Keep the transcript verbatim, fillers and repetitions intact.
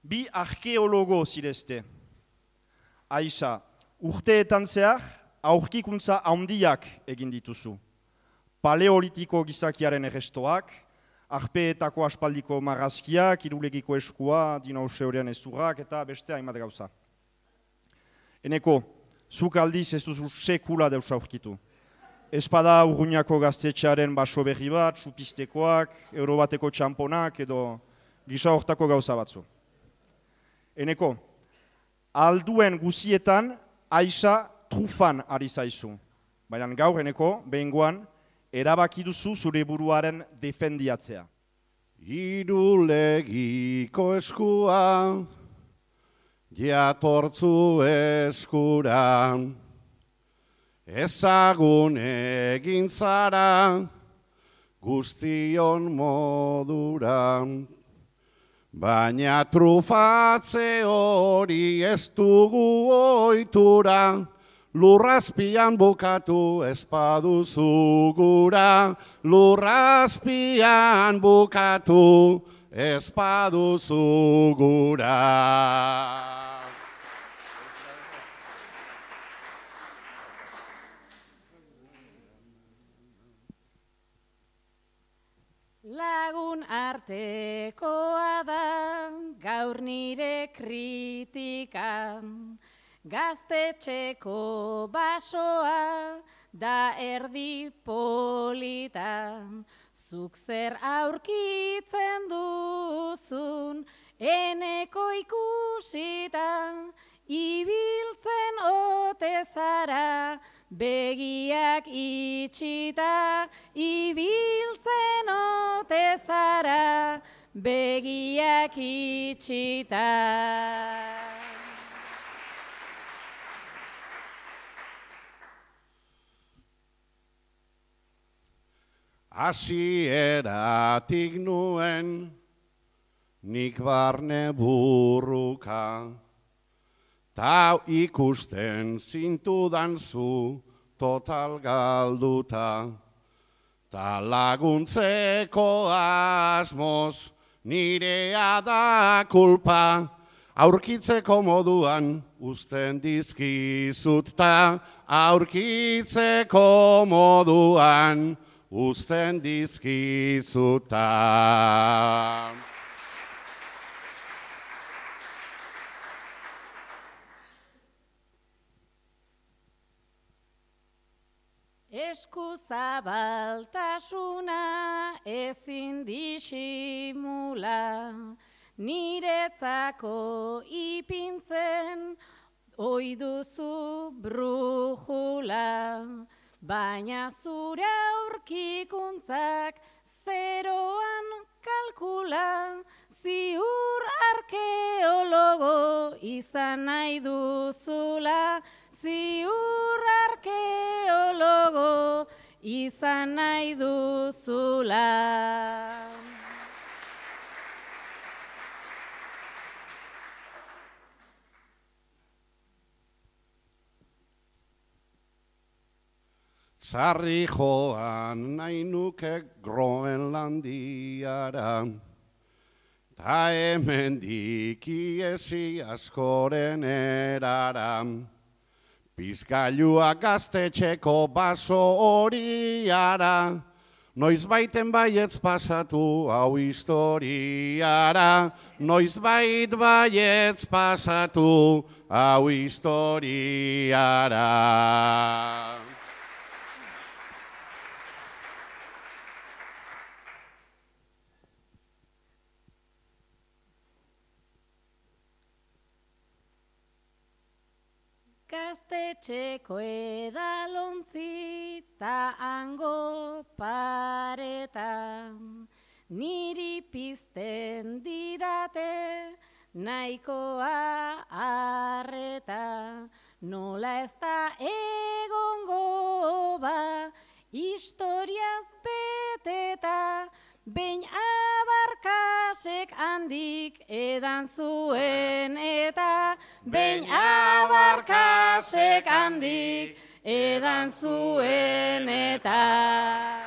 bi arkeologo zirezte. Aixa, urteetan zehar, aurkikuntza handiak egin dituzu. Paleolitiko gizakiaren errestoak, arpeetako aspaldiko marrazkiak, irulegiko eskua, dinosaurean ezurrak eta beste hainbat gauza. Eneko, zuk aldiz ez duzu sekula deus aurkitu. Espada Urruñako gaztetxearen baso berri bat, supistekoak, eurobateko txamponak edo gisa hortako gauza batzu. Eneko, alduen guzietan Aixa trufan ari zaizu. Baina gaur, Eneko, behingoan, erabaki duzu zure buruaren defendiatzea. Irulegiko eskua, jatortzu eskura, ezagun egin zara, guztion modura. Baina trufatze hori ez dugu ohitura, lurrazpian bukatu ez baduzu gura, lurrazpian bukatu ez baduzu gura. Lagun artekoa da gaur nire kritika, gaztetxeko basoa da erdi polita. Zuk zer aurkitzen duzun Eneko ikusita, ibiltzen ote zara begiak itxita, ibiltzen ote zara begiak itxita. Hasieratik nuen nik barne burruka, ta ikusten zintudan zu total galduta, ta laguntzeko asmoz nirea da kulpa, aurkitzeko moduan uzten dizkizut ta, aurkitzeko moduan uzten dizkizuta. Eskuzabaltasuna ezin disimula, niretzako ipintzen ohi duzu brujula. Baina zure aurkikuntzak zeroan kalkula, ziur arkeologo izan nahi duzula, ziur arkeologo izan nahi duzula. Sarri joan nahi nuke Groenlandiara, ta hemendik iesi askoren erara. Pizgailua gaztetxeko baso horiara, noizbaiten baietz pasatu hau historiara, noizbait baietz pasatu hau historiara. Gaztetxeko edalontzi ta hango pareta, niri pizten didate nahikoa arreta. Nola ez da egongo ba historiaz beteta, behin abarkasek handik edan zuen eta, behin abarkasek handik edan zuen eta.